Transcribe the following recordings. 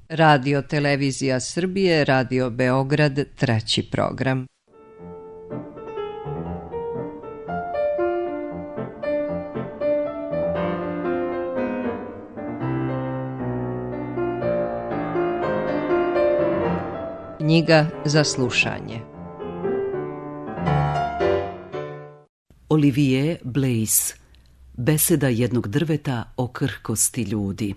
Radio Televizija Srbije, Radio Beograd, treći program. Knjiga za slušanje. Olivier Blaise. Beseda jednog drveta o krhkosti ljudi.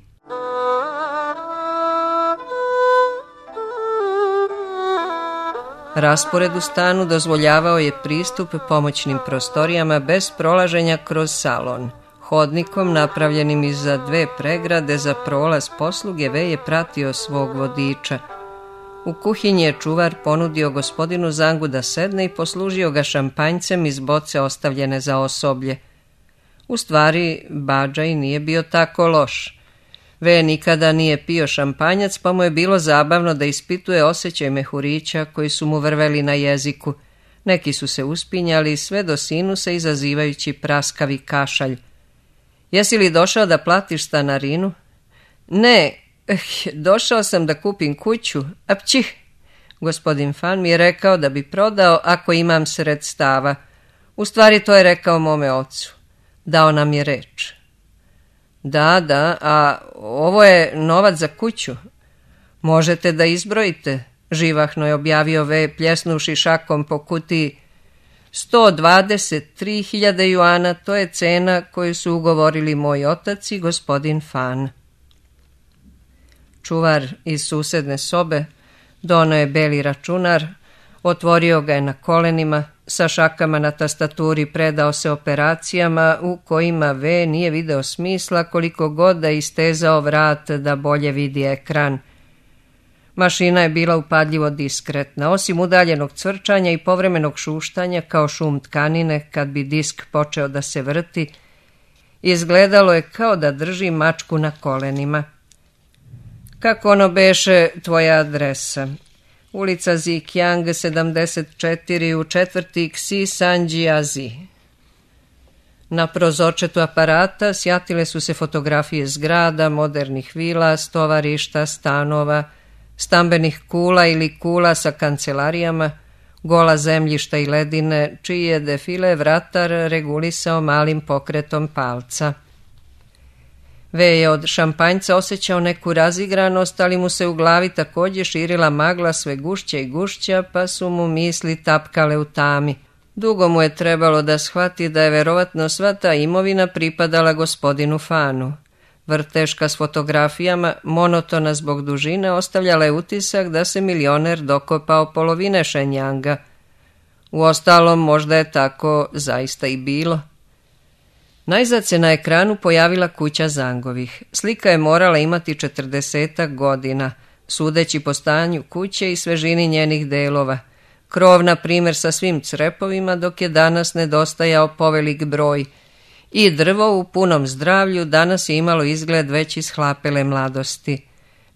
Raspored u stanu dozvoljavao je pristup pomoćnim prostorijama bez prolaženja kroz salon. Hodnikom napravljenim iza dve pregrade za prolaz posluge V je pratio svog vodiča. U kuhinji je čuvar ponudio gospodinu Zangu da sedne i poslužio ga šampanjcem iz boce ostavljene za osoblje. U stvari, Badžaj nije bio tako loš. V nikada nije pio šampanjac, pa mu je bilo zabavno da ispituje osjećaj mehurića koji su mu vrveli na jeziku. Neki su se uspinjali sve do sinusa izazivajući praskavi kašalj. Jesi li došao da platiš stanarinu? Ne, došao sam da kupim kuću. Apćih! Gospodin Fan mi je rekao da bi prodao ako imam sredstava. U stvari to je rekao mome ocu. Dao nam je reč. Da, a ovo je novac za kuću. Možete da izbrojite, živahno je objavio V, pljesnuši šakom po kutiji. 123.000 juana, to je cena koju su ugovorili moj otac i gospodin Fan. Čuvar iz susedne sobe doneo je beli računar, otvorio ga je na kolenima, sa šakama na tastaturi predao se operacijama u kojima V nije video smisla koliko god da istezao vrat da bolje vidi ekran. Mašina je bila upadljivo diskretna, osim udaljenog cvrčanja i povremenog šuštanja kao šum tkanine kad bi disk počeo da se vrti, izgledalo je kao da drži mačku na kolenima. Kako ono beše tvoja adresa? Ulica Zikiang 74 u četvrti Xi Sanjiazi. Na prozorčetu aparata sjatile su se fotografije zgrada, modernih vila, stovarišta, stanova, stambenih kula ili kula sa kancelarijama, gola zemljišta i ledine, čiji je defile vratar regulisao malim pokretom palca. V je od šampanjca osjećao neku razigranost, ali mu se u glavi također širila magla sve gušća i gušća, pa su mu misli tapkale u tami. Dugo mu je trebalo da shvati da je verovatno sva ta imovina pripadala gospodinu Fanu. Vrteška s fotografijama, monotona zbog dužine, ostavljala je utisak da se milioner dokopao polovine Šenjanga. Uostalom, možda je tako zaista i bilo. Najzad se na ekranu pojavila kuća Zangovih. Slika je morala imati 40 godina, sudeći po stanju kuće i svežini njenih delova. Krov, na primjer, sa svim crepovima, dok je danas nedostajao povelik broj. I drvo u punom zdravlju danas je imalo izgled već ishlapele mladosti.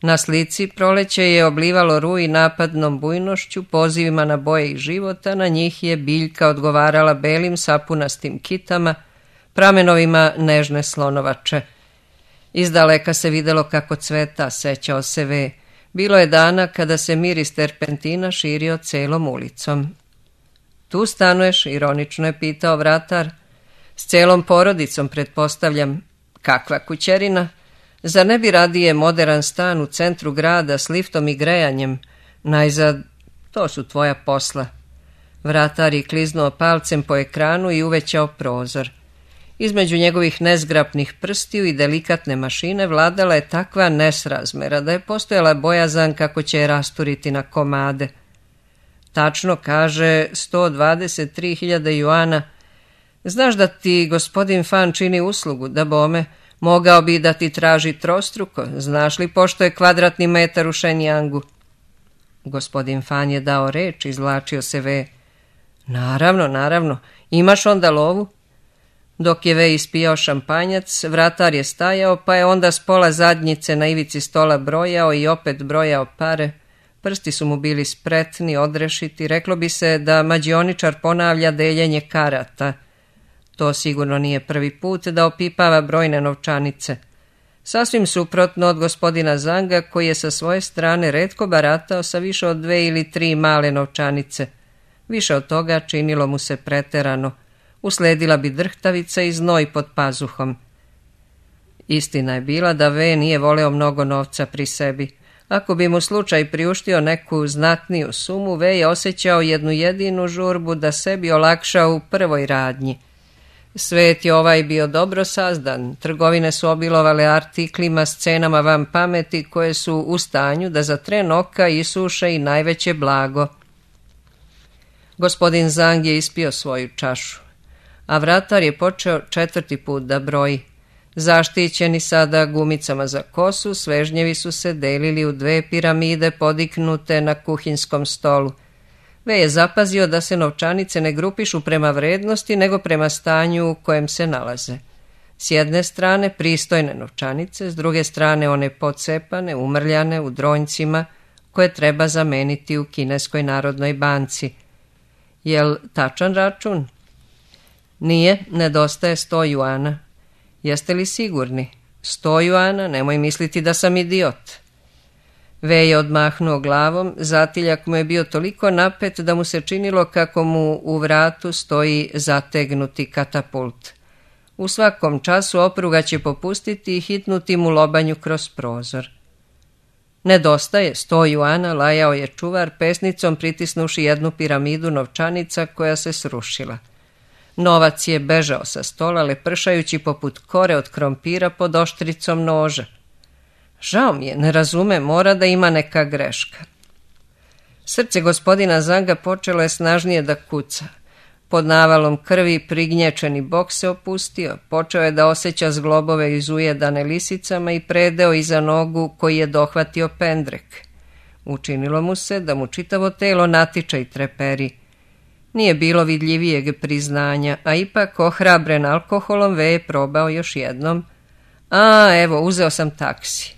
Na slici proleće je oblivalo ruj napadnom bujnošću, pozivima na boje i života, na njih je biljka odgovarala belim sapunastim kitama, pramenovima nežne slonovače. Izdaleka se videlo kako cveta, sećao se V. Bilo je dana kada se miris terpentina širio celom ulicom. Tu stanuješ, ironično je pitao vratar. S celom porodicom, pretpostavljam. Kakva kućerina? Zar ne bi radije modern stan u centru grada s liftom i grejanjem? Najzad, to su tvoja posla. Vratar je kliznuo palcem po ekranu i uvećao prozor. Između njegovih nezgrapnih prstiju i delikatne mašine vladala je takva nesrazmera da je postojala bojazan kako će je rasturiti na komade. Tačno kaže 123.000 juana. Znaš da ti gospodin Fan čini uslugu, da bome, mogao bi da ti traži trostruko, znaš li pošto je kvadratni metar u Šenjangu? Gospodin Fan je dao reč, izvlačio se V. Naravno, imaš onda lovu? Dok je V ispijao šampanjac, vratar je stajao, pa je onda s pola zadnjice na ivici stola brojao i opet brojao pare. Prsti su mu bili spretni, odrešiti, reklo bi se da mađioničar ponavlja deljenje karata. To sigurno nije prvi put da opipava brojne novčanice. Sasvim suprotno od gospodina Zanga, koji je sa svoje strane retko baratao sa više od 2 ili 3 male novčanice. Više od toga činilo mu se preterano. Usledila bi drhtavica i znoj pod pazuhom. Istina je bila da V nije voleo mnogo novca pri sebi. Ako bi mu slučaj priuštio neku znatniju sumu, V je osjećao jednu jedinu žurbu da sebi olakša u prvoj radnji. Svet je ovaj bio dobro sazdan, trgovine su obilovale artiklima s cenama van pameti koje su u stanju da za tren oka isuše i najveće blago. Gospodin Zang je ispio svoju čašu, a vratar je počeo 4. put da broji. Zaštićeni sada gumicama za kosu, svežnjevi su se delili u 2 piramide podiknute na kuhinskom stolu. V je zapazio da se novčanice ne grupišu prema vrednosti, nego prema stanju u kojem se nalaze. S jedne strane pristojne novčanice, s druge strane one pocepane, umrljane u dronjcima, koje treba zameniti u Kineskoj narodnoj banci. Jel tačan račun? Nije, nedostaje 100 juana. Jeste li sigurni? 100 juana, nemoj misliti da sam idiot. V je odmahnuo glavom, zatiljak mu je bio toliko napet da mu se činilo kako mu u vratu stoji zategnuti katapult. U svakom času opruga će popustiti i hitnuti mu lobanju kroz prozor. Nedostaje 100 juana, lajao je čuvar, pesnicom pritisnuši jednu piramidu novčanica koja se srušila. Novac je bežao sa stola, lepršajući poput kore od krompira pod oštricom noža. Žao mi je, ne razume, mora da ima neka greška. Srce gospodina Zanga počelo je snažnije da kuca. Pod navalom krvi prignječeni bok se opustio, počeo je da osjeća zglobove izujedane lisicama i predeo iza nogu koji je dohvatio pendrek. Učinilo mu se da mu čitavo telo natiče i treperi. Nije bilo vidljivijeg priznanja, a ipak ohrabren alkoholom V je probao još jednom. Evo, uzeo sam taksi.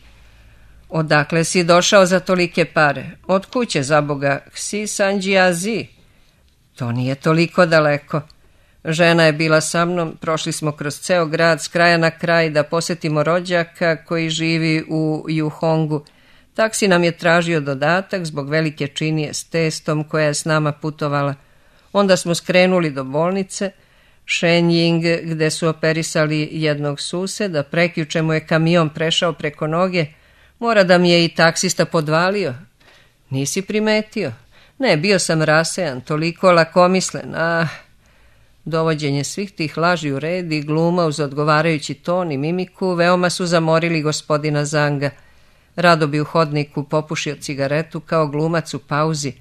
Odakle si došao za tolike pare? Od kuće, za Boga, Ksi Sanđiazi. To nije toliko daleko. Žena je bila sa mnom, prošli smo kroz ceo grad s kraja na kraj da posjetimo rođaka koji živi u Juhongu. Taksi nam je tražio dodatak zbog velike činije s testom koja je s nama putovala. Onda smo skrenuli do bolnice Shenying, gde su operisali jednog suseda, prekjuče mu je kamion prešao preko noge. Mora da mi je i taksista podvalio. Nisi primetio? Ne, bio sam rasejan, toliko lakomislen. Dovođenje svih tih laži u red i gluma uz odgovarajući ton i mimiku veoma su zamorili gospodina Zanga. Rado bi u hodniku popušio cigaretu kao glumac u pauzi.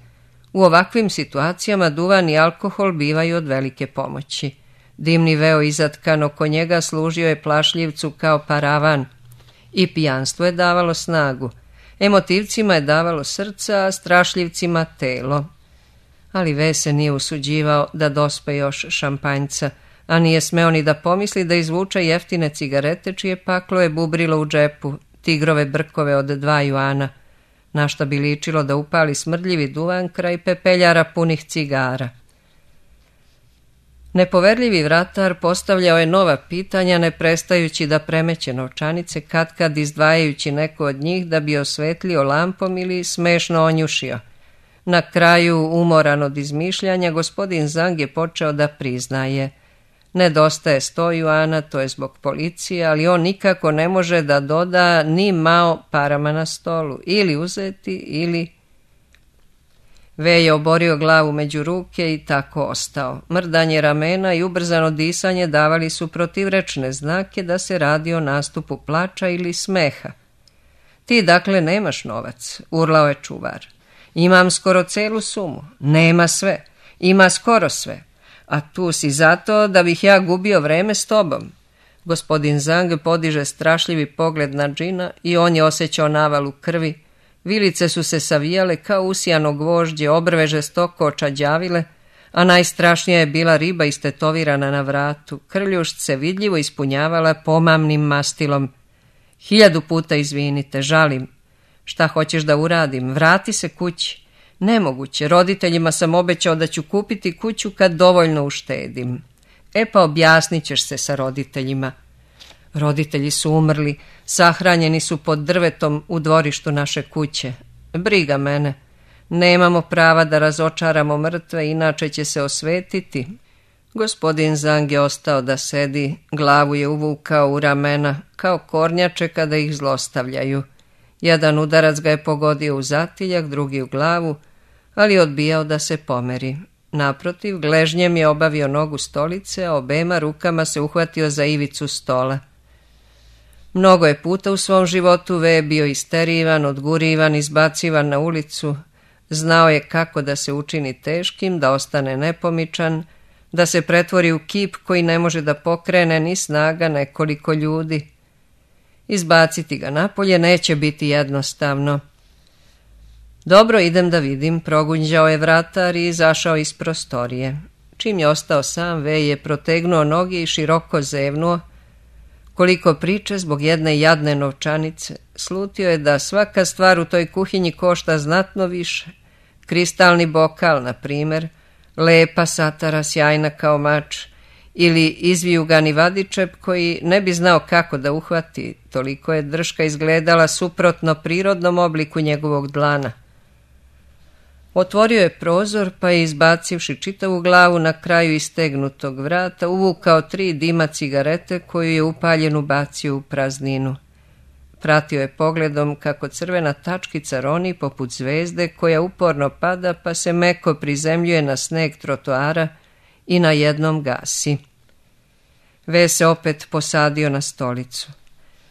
U ovakvim situacijama duvan i alkohol bivaju od velike pomoći. Dimni veo izatkan oko njega služio je plašljivcu kao paravan. I pijanstvo je davalo snagu. Emotivcima je davalo srca, a strašljivcima telo. Ali V se nije usuđivao da dospe još šampanjca, a nije smeo ni da pomisli da izvuče jeftine cigarete čije paklo je bubrilo u džepu, tigrove brkove od 2 juana, na šta bi ličilo da upali smrdljivi duvan kraj pepeljara punih cigara. Nepoverljivi vratar postavljao je nova pitanja, ne prestajući da premeće novčanice, katkad izdvajajući neko od njih da bi osvetlio lampom ili smešno onjušio. Na kraju, umoran od izmišljanja, gospodin Zang je počeo da priznaje. Nedostaje 100 juana, to je zbog policije, ali on nikako ne može da doda ni mao parama na stolu. Ili uzeti, ili... V je oborio glavu među ruke i tako ostao. Mrdanje ramena i ubrzano disanje davali su protivrečne znake da se radi o nastupu plača ili smeha. Ti dakle nemaš novac, urlao je čuvar. Imam skoro celu sumu. Nema sve. Ima skoro sve. A tu si zato da bih ja gubio vreme s tobom. Gospodin Zang podiže strašljivi pogled na džina i on je osjećao navalu krvi. Vilice su se savijale kao usijano gvožđe, obrve žestoko očađavile, a najstrašnija je bila riba istetovirana na vratu. Krljušt se vidljivo ispunjavala pomamnim mastilom. 1000 puta izvinite, žalim. Šta hoćeš da uradim? Vrati se kući. Nemoguće, roditeljima sam obećao da ću kupiti kuću kad dovoljno uštedim. Pa objasnit ćeš se sa roditeljima. Roditelji su umrli, sahranjeni su pod drvetom u dvorištu naše kuće. Briga mene. Nemamo prava da razočaramo mrtve, inače će se osvetiti. Gospodin Zang je ostao da sedi, glavu je uvukao u ramena, kao kornjače kada ih zlostavljaju. Jedan udarac ga je pogodio u zatiljak, drugi u glavu, ali odbijao da se pomeri. Naprotiv, gležnjem je obavio nogu stolice, a obema rukama se uhvatio za ivicu stola. Mnogo je puta u svom životu V bio isterivan, odgurivan, izbacivan na ulicu. Znao je kako da se učini teškim, da ostane nepomičan, da se pretvori u kip koji ne može da pokrene ni snaga nekoliko ljudi. Izbaciti ga napolje neće biti jednostavno. Dobro, idem da vidim, progunđao je vratar i izašao iz prostorije. Čim je ostao sam, V je protegnuo noge i široko zevnuo. Koliko priče zbog jedne jadne novčanice, slutio je da svaka stvar u toj kuhinji košta znatno više. Kristalni bokal, na primjer, lepa satara sjajna kao mač, ili izvijugani vadičep koji ne bi znao kako da uhvati, toliko je drška izgledala suprotno prirodnom obliku njegovog dlana. Otvorio je prozor, pa je izbacivši čitavu glavu na kraju istegnutog vrata, uvukao 3 dima cigarete koju je upaljenu bacio u prazninu. Pratio je pogledom kako crvena tačkica roni poput zvezde koja uporno pada pa se meko prizemljuje na sneg trotoara i na jednom gasi. V se opet posadio na stolicu.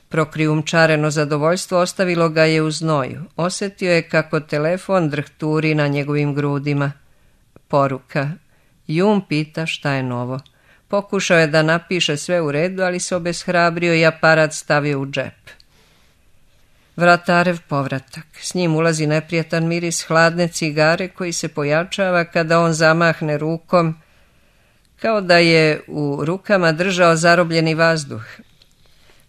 Prokrijumčareno zadovoljstvo ostavilo ga je u znoju. Osjetio je kako telefon drhturi na njegovim grudima. Poruka. Jun pita šta je novo. Pokušao je da napiše sve u redu, ali se obeshrabrio i aparat stavio u džep. Vratarev povratak. S njim ulazi neprijatan miris hladne cigare koji se pojačava kada on zamahne rukom, kao da je u rukama držao zarobljeni vazduh.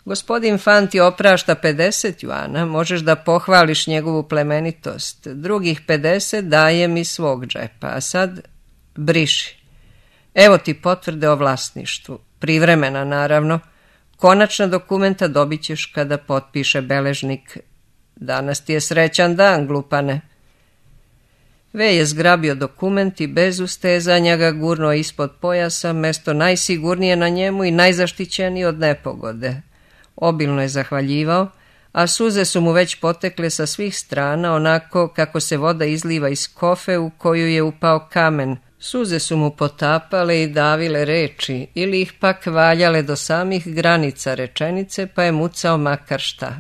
Gospodin Fanti oprašta 50 juana, možeš da pohvališ njegovu plemenitost. Drugih 50 dajem iz svog džepa, a sad briši. Evo ti potvrde o vlasništvu. Privremena, naravno. Konačna dokumenta dobit ćeš kada potpiše beležnik. Danas ti je srećan dan, glupane. V je zgrabio dokument i bez ustezanja ga gurnuo ispod pojasa, mesto najsigurnije na njemu i najzaštićeniji od nepogode. Obilno je zahvaljivao, a suze su mu već potekle sa svih strana, onako kako se voda izliva iz kofe u koju je upao kamen. Suze su mu potapale i davile reči, ili ih pak valjale do samih granica rečenice, pa je mucao makar šta.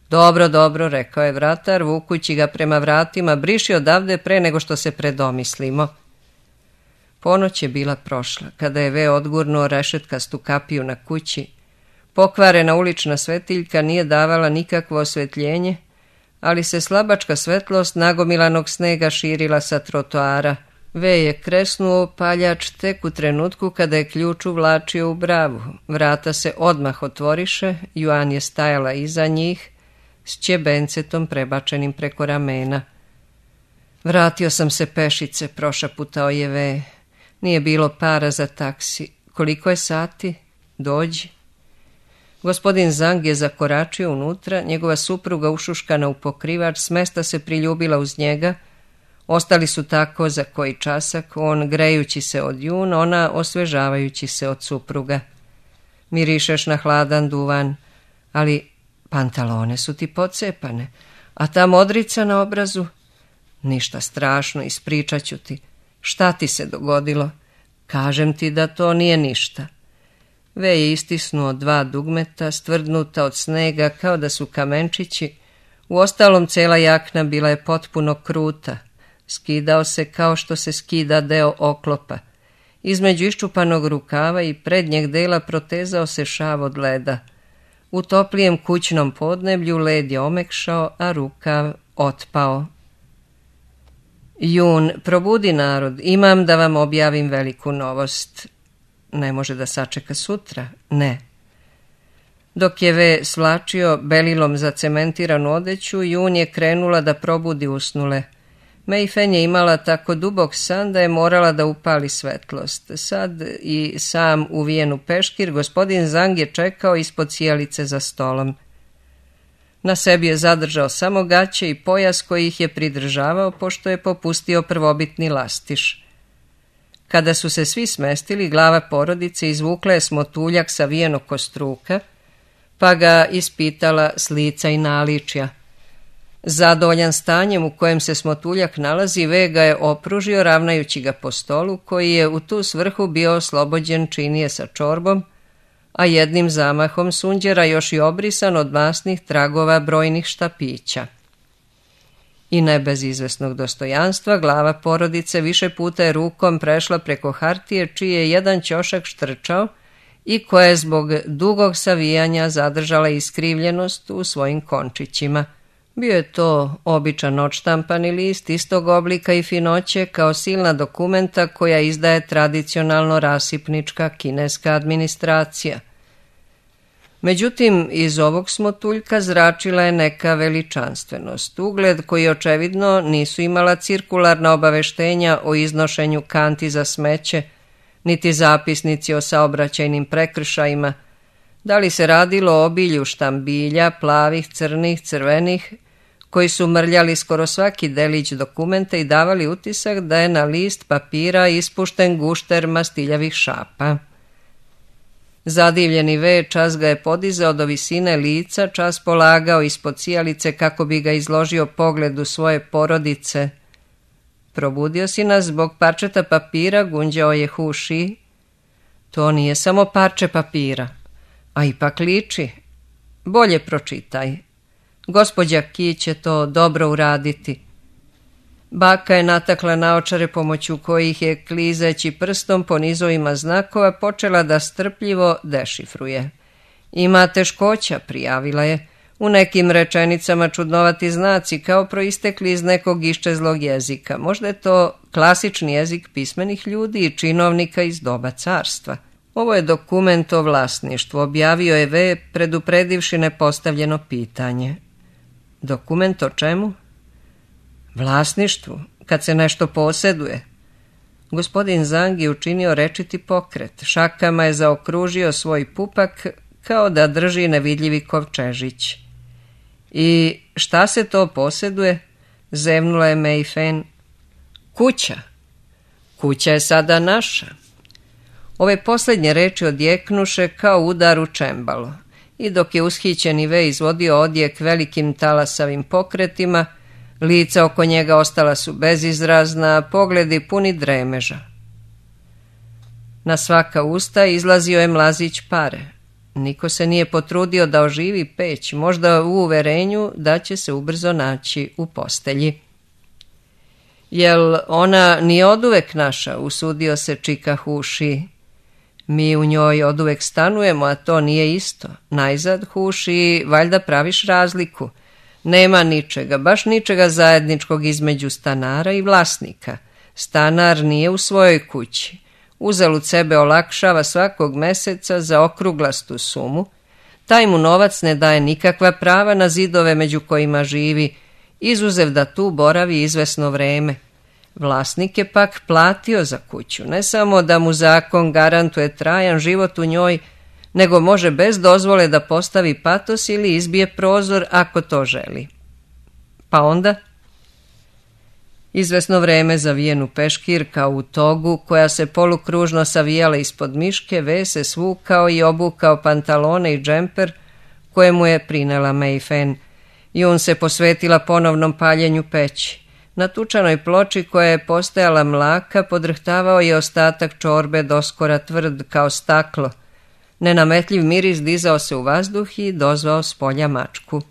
Dobro, dobro, rekao je vratar, vukući ga prema vratima, briši odavde pre nego što se predomislimo. Ponoć je bila prošla, kada je V odgurnuo rešetkastu kapiju na kući. Pokvarena ulična svetiljka nije davala nikakvo osvetljenje, ali se slabačka svetlost nagomilanog snega širila sa trotoara. V je kresnuo paljač tek u trenutku kada je ključ uvlačio u bravu. Vrata se odmah otvoriše, Juan je stajala iza njih, s ćebencetom prebačenim preko ramena. Vratio sam se pešice, prošaputao je V. Nije bilo para za taksi. Koliko je sati? Dođi. Gospodin Zang je zakoračio unutra, njegova supruga ušuškana u pokrivač s mesta se priljubila uz njega. Ostali su tako za koji časak, on grejući se od Jun, ona osvežavajući se od supruga. Mirišeš na hladan duvan, ali pantalone su ti pocepane, a ta modrica na obrazu? Ništa strašno, ispričat ću ti. Šta ti se dogodilo? Kažem ti da to nije ništa. V je istisnuo 2 dugmeta, stvrdnuta od snega kao da su kamenčići. Uostalom cela jakna bila je potpuno kruta. Skidao se kao što se skida deo oklopa. Između iščupanog rukava i prednjeg dela protezao se šav od leda. U toplijem kućnom podneblju led je omekšao, a rukav otpao. Jun, probudi narod, imam da vam objavim veliku novost. Ne može da sačeka sutra? Ne. Dok je V svlačio belilom zacementiranu odeću, Jun je krenula da probudi usnule. Mei Fen je imala tako dubok san da je morala da upali svetlost. Sad i sam uvijen u peškir, gospodin Zhang je čekao ispod sijalice za stolom. Na sebi je zadržao samo gaće i pojas koji ih je pridržavao, pošto je popustio prvobitni lastiš. Kada su se svi smestili, glava porodice izvukla je smotuljak savijen oko struka, pa ga ispitala s lica i naličja. Zadovoljan stanjem u kojem se smotuljak nalazi, Ve ga je opružio ravnajući ga po stolu, koji je u tu svrhu bio oslobođen činije sa čorbom, a jednim zamahom sunđera još i obrisan od masnih tragova brojnih štapića. I ne bez izvesnog dostojanstva, glava porodice više puta je rukom prešla preko hartije, čiji je jedan ćošak štrčao i koja je zbog dugog savijanja zadržala iskrivljenost u svojim končićima. Bio je to običan odštampani list istog oblika i finoće kao silna dokumenta koja izdaje tradicionalno rasipnička kineska administracija. Međutim, iz ovog smotuljka zračila je neka veličanstvenost, ugled koji očevidno nisu imala cirkularna obaveštenja o iznošenju kanti za smeće, niti zapisnici o saobraćajnim prekršajima. Da li se radilo o obilju štambilja, plavih, crnih, crvenih, koji su mrljali skoro svaki delić dokumenta i davali utisak da je na list papira ispušten gušter mastiljavih šapa. Zadivljeni Ve čas ga je podizao do visine lica, čas polagao ispod sijalice kako bi ga izložio pogledu svoje porodice. Probudio si nas zbog parčeta papira, gunđao je Hu Shi. To nije samo parče papira, a ipak liči. Bolje pročitaj. Gospođa Ki će to dobro uraditi. Baka je natakla naočare pomoću kojih je klizeći prstom po nizovima znakova počela da strpljivo dešifruje. Ima teškoća, prijavila je. U nekim rečenicama čudnovati znaci kao proistekli iz nekog iščezlog jezika. Možda je to klasični jezik pismenih ljudi i činovnika iz doba carstva. Ovo je dokument o vlasništvu, objavio je Ve predupredivši nepostavljeno pitanje. Dokument o čemu? Vlasništvu, kad se nešto posjeduje. Gospodin Zhang je učinio rečiti pokret. Šakama je zaokružio svoj pupak kao da drži nevidljivi kovčežić. I šta se to posjeduje? Zevnula je Mei Fen. Kuća. Kuća je sada naša. Ove posljednje reči odjeknuše kao udar u čembalo. I dok je ushićeni Ve izvodio odjek velikim talasavim pokretima, lica oko njega ostala su bezizrazna, pogledi puni dremeža. Na svaka usta izlazio je mlazić pare. Niko se nije potrudio da oživi peć, možda u uverenju da će se ubrzo naći u postelji. Jel ona nije oduvek naša, usudio se čika Hu Shi. Mi u njoj oduvek stanujemo, a to nije isto. Najzad, Hu Shi, valjda praviš razliku. Nema ničega, baš ničega zajedničkog između stanara i vlasnika. Stanar nije u svojoj kući. Uzalud sebe olakšava svakog meseca za okruglastu sumu. Taj mu novac ne daje nikakva prava na zidove među kojima živi, izuzev da tu boravi izvesno vreme. Vlasnik je pak platio za kuću, ne samo da mu zakon garantuje trajan život u njoj, nego može bez dozvole da postavi patos ili izbije prozor ako to želi. Pa onda? Izvesno vreme zavijen u peškir kao u togu, koja se polukružno savijala ispod miške, Ve se svukao i obukao pantalone i džemper koje mu je prinela Mei Fen. Jun se posvetila ponovnom paljenju peći. Na tučanoj ploči koja je postajala mlaka podrhtavao je ostatak čorbe doskora tvrd kao staklo. Nenametljiv miris dizao se u vazduh i dozvao s polja mačku.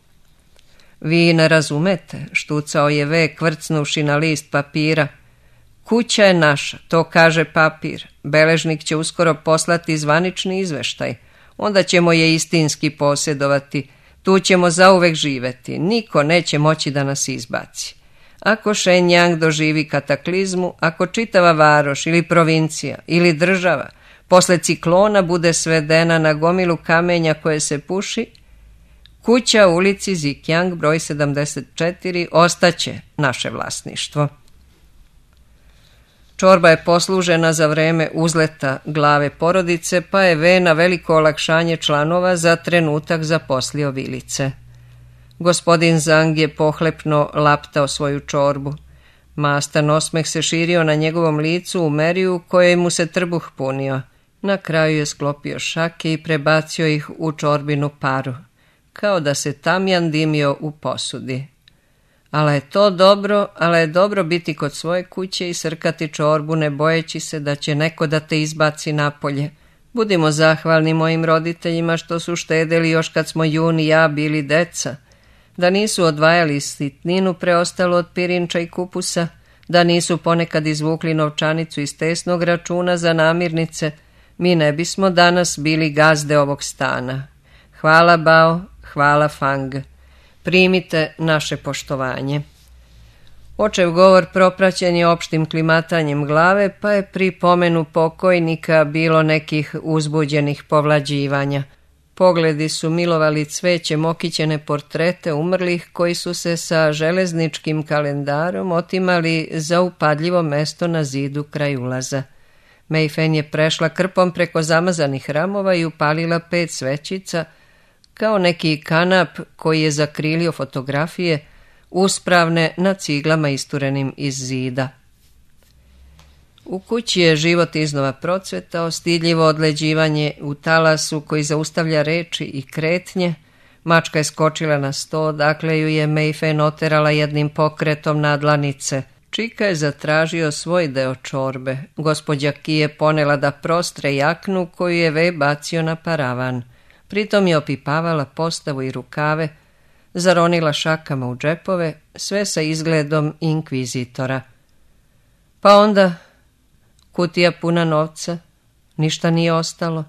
Vi ne razumete, štucao je Ve kvrcnuši na list papira. Kuća je naša, to kaže papir. Beležnik će uskoro poslati zvanični izveštaj. Onda ćemo je istinski posjedovati. Tu ćemo zauvek živeti. Niko neće moći da nas izbaci. Ako Shenyang doživi kataklizmu, ako čitava varoš ili provincija ili država posle ciklona bude svedena na gomilu kamenja koje se puši, kuća u ulici Zikjang broj 74 ostaće naše vlasništvo. Čorba je poslužena za vreme uzleta glave porodice, pa je V na veliko olakšanje članova za trenutak zaposlio vilice. Gospodin Zang je pohlepno laptao svoju čorbu. Mastan osmeh se širio na njegovom licu u meri u kojoj mu se trbuh punio. Na kraju je sklopio šake i prebacio ih u čorbinu paru, kao da se tamjan dimio u posudi. Ali je dobro biti kod svoje kuće i srkati čorbu ne bojeći se da će neko da te izbaci napolje. Budimo zahvalni mojim roditeljima što su štedeli još kad smo Jun i ja bili deca, da nisu odvajali sitninu preostalu od pirinča i kupusa, da nisu ponekad izvukli novčanicu iz tesnog računa za namirnice, mi ne bismo danas bili gazde ovog stana. Hvala Bao, hvala Fang. Primite naše poštovanje. Očev govor propraćen je opštim klimatanjem glave, pa je pri pomenu pokojnika bilo nekih uzbuđenih povlađivanja. Pogledi su milovali cvećem okićene portrete umrlih koji su se sa železničkim kalendarom otimali za upadljivo mesto na zidu kraj ulaza. Mei Fen je prešla krpom preko zamazanih ramova i upalila 5 svećica, kao neki kanap koji je zakrilio fotografije, uspravne na ciglama isturenim iz zida. U kući je život iznova procvetao, stidljivo odleđivanje u talasu koji zaustavlja reči i kretnje. Mačka je skočila na sto, dakle ju je Mei Fen oterala jednim pokretom na dlanice. Čika je zatražio svoj deo čorbe. Gospođa Ki je ponela da prostre jaknu koju je Wei bacio na paravan. Pritom je opipavala postavu i rukave, zaronila šakama u džepove, sve sa izgledom inkvizitora. Pa onda kutija puna novca, ništa nije ostalo.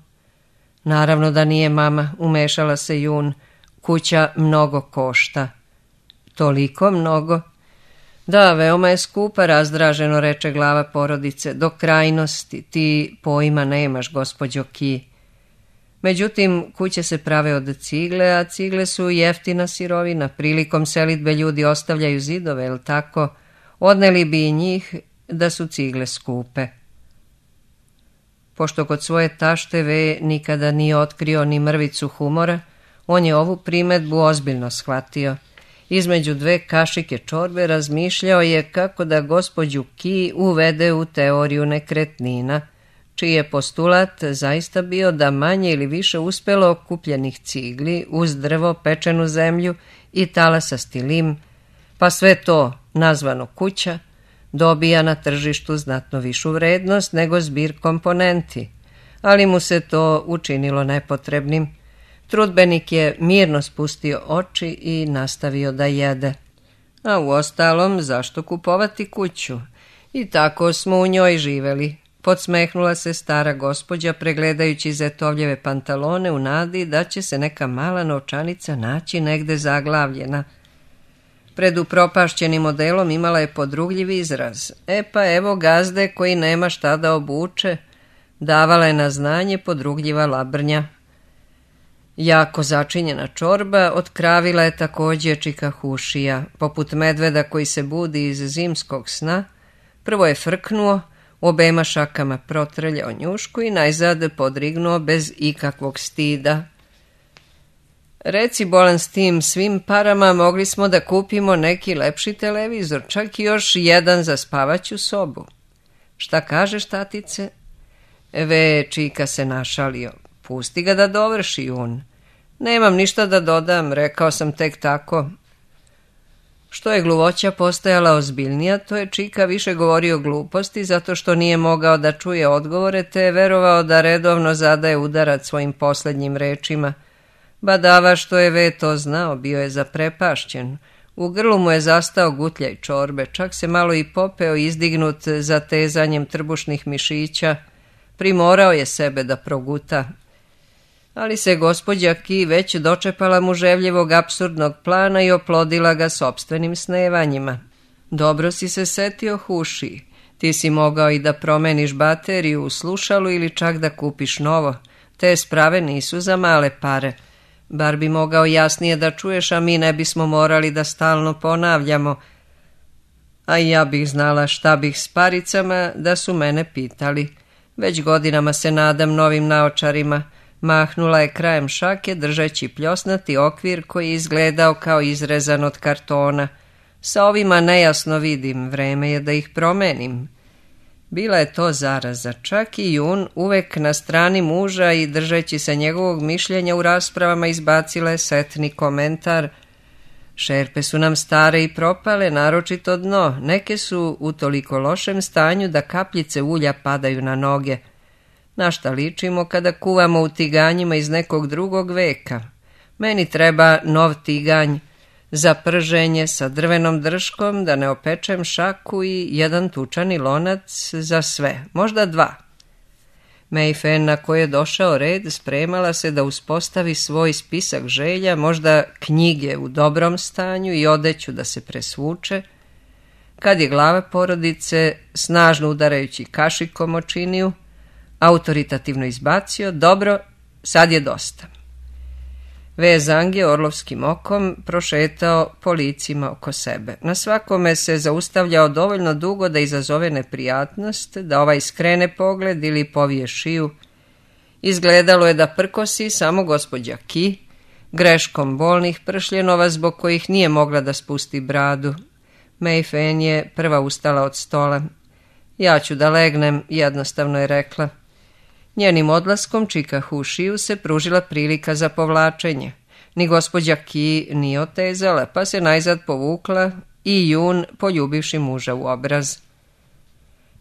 Naravno da nije, mama, umešala se Jun, kuća mnogo košta. Toliko mnogo? Da, veoma je skupa, razdraženo reče glava porodice, do krajnosti, ti pojma nemaš, gospođo Ki. Međutim, kuće se prave od cigle, a cigle su jeftina sirovina. Prilikom selidbe ljudi ostavljaju zidove, jel tako? Odneli bi i njih da su cigle skupe. Pošto kod svoje tašte V nikada nije otkrio ni mrvicu humora, on je ovu primedbu ozbiljno shvatio. Između 2 kašike čorbe razmišljao je kako da gospođu Ki uvede u teoriju nekretnina, čiji je postulat zaista bio da manje ili više uspelo okupljenih cigli uz drvo, pečenu zemlju i talasasti lim, pa sve to, nazvano kuća, dobija na tržištu znatno višu vrednost nego zbir komponenti, ali mu se to učinilo nepotrebnim. Trudbenik je mirno spustio oči i nastavio da jede. A uostalom, zašto kupovati kuću? I tako smo u njoj živeli. Podsmehnula se stara gospođa pregledajući zetovljeve pantalone u nadi da će se neka mala novčanica naći negde zaglavljena. Pred upropašćenim modelom imala je podrugljiv izraz. Pa evo gazde koji nema šta da obuče, davala je na znanje podrugljiva labrnja. Jako začinjena čorba otkravila je također čikahušija. Poput medveda koji se budi iz zimskog sna, prvo je frknuo, obema šakama protrljao njušku i najzad podrignuo bez ikakvog stida. Reci, bolan s tim svim parama, mogli smo da kupimo neki lepši televizor, čak i još jedan za spavaću sobu. Šta kažeš, tatice? Čika se našalio. Pusti ga da dovrši, Jun. Nemam ništa da dodam, rekao sam tek tako. Što je gluvoća postajala ozbiljnija, to je Čika više govorio gluposti zato što nije mogao da čuje odgovore, te je verovao da redovno zadaje udarac svojim posljednjim rečima. Badava što je V to znao, bio je zaprepašćen. U grlu mu je zastao gutljaj čorbe, čak se malo i popeo izdignut za tezanjem trbušnih mišića. Primorao je sebe da proguta. Ali se gospođa Ki već dočepala muževljevog apsurdnog plana i oplodila ga sopstvenim snevanjima. Dobro si se setio, Huši. Ti si mogao i da promeniš bateriju u slušalu ili čak da kupiš novo. Te sprave nisu za male pare. Bar bi mogao jasnije da čuješ, a mi ne bismo morali da stalno ponavljamo. A i ja bih znala šta bih s paricama da su mene pitali. Već godinama se nadam novim naočarima. Mahnula je krajem šake držeći pljosnati okvir koji je izgledao kao izrezan od kartona. Sa ovima nejasno vidim, vreme je da ih promenim. Bila je to zaraza. Čak i Jun, uvek na strani muža i držeći se njegovog mišljenja u raspravama, izbacila je setni komentar: šerpe su nam stare i propale, naročito dno. Neke su u toliko lošem stanju da kapljice ulja padaju na noge. Na šta ličimo kada kuvamo u tiganjima iz nekog drugog veka? Meni treba nov tiganj za prženje sa drvenom drškom, da ne opečem šaku, i jedan tučani lonac za sve, možda 2. Mayfen, na koje je došao red, spremala se da uspostavi svoj spisak želja, možda knjige u dobrom stanju i odeću da se presvuče, kad je glava porodice, snažno udarajući kašikom o činiju, autoritativno izbacio: dobro, sad je dosta. Zang je orlovskim okom prošetao po licima oko sebe. Na svakome se zaustavljao dovoljno dugo da izazove neprijatnost, da ovaj skrene pogled ili povije šiju. Izgledalo je da prkosi samo gospođa Ki, greškom bolnih pršljenova zbog kojih nije mogla da spusti bradu. Mayfen je prva ustala od stola. Ja ću da legnem, jednostavno je rekla. Njenim odlaskom čikahu u šiju se pružila prilika za povlačenje. Ni gospođa Ki nije otezala, pa se najzad povukla i Jun, poljubivši muža u obraz.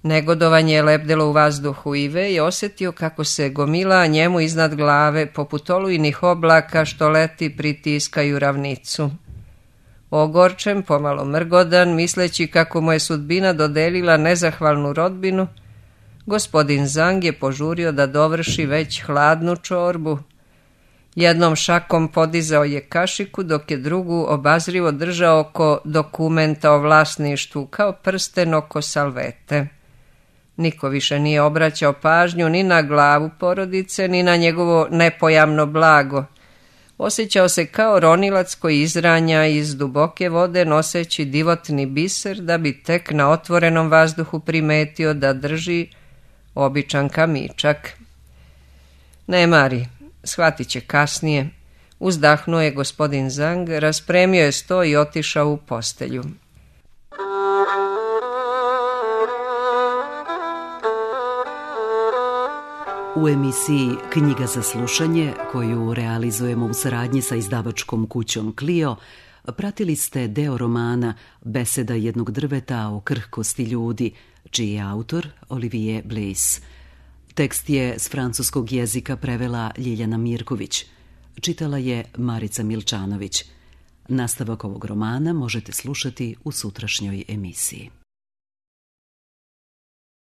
Negodovanje je lebdelo u vazduhu i Ve je osjetio kako se gomila njemu iznad glave, poput olujnih oblaka što leti pritiskaju ravnicu. Ogorčen, pomalo mrgodan, misleći kako mu je sudbina dodelila nezahvalnu rodbinu, gospodin Zang je požurio da dovrši već hladnu čorbu. Jednom šakom podizao je kašiku, dok je drugu obazrivo držao oko dokumenta o vlasništvu, kao prsten oko salvete. Niko više nije obraćao pažnju ni na glavu porodice, ni na njegovo nepojamno blago. Osjećao se kao ronilac koji izranja iz duboke vode noseći divotni biser, da bi tek na otvorenom vazduhu primetio da drži običan kamičak. Ne mari, shvatit će kasnije. Uzdahnuo je gospodin Zang, raspremio je sto i otišao u postelju. U emisiji Knjiga za slušanje, koju realizujemo u saradnji sa izdavačkom kućom Clio, pratili ste deo romana Beseda jednog drveta o krhkosti ljudi, čiji je autor Olivier Bleys. Tekst je s francuskog jezika prevela Ljiljana Mirković. Čitala je Marica Milčanović. Nastavak ovog romana možete slušati u sutrašnjoj emisiji.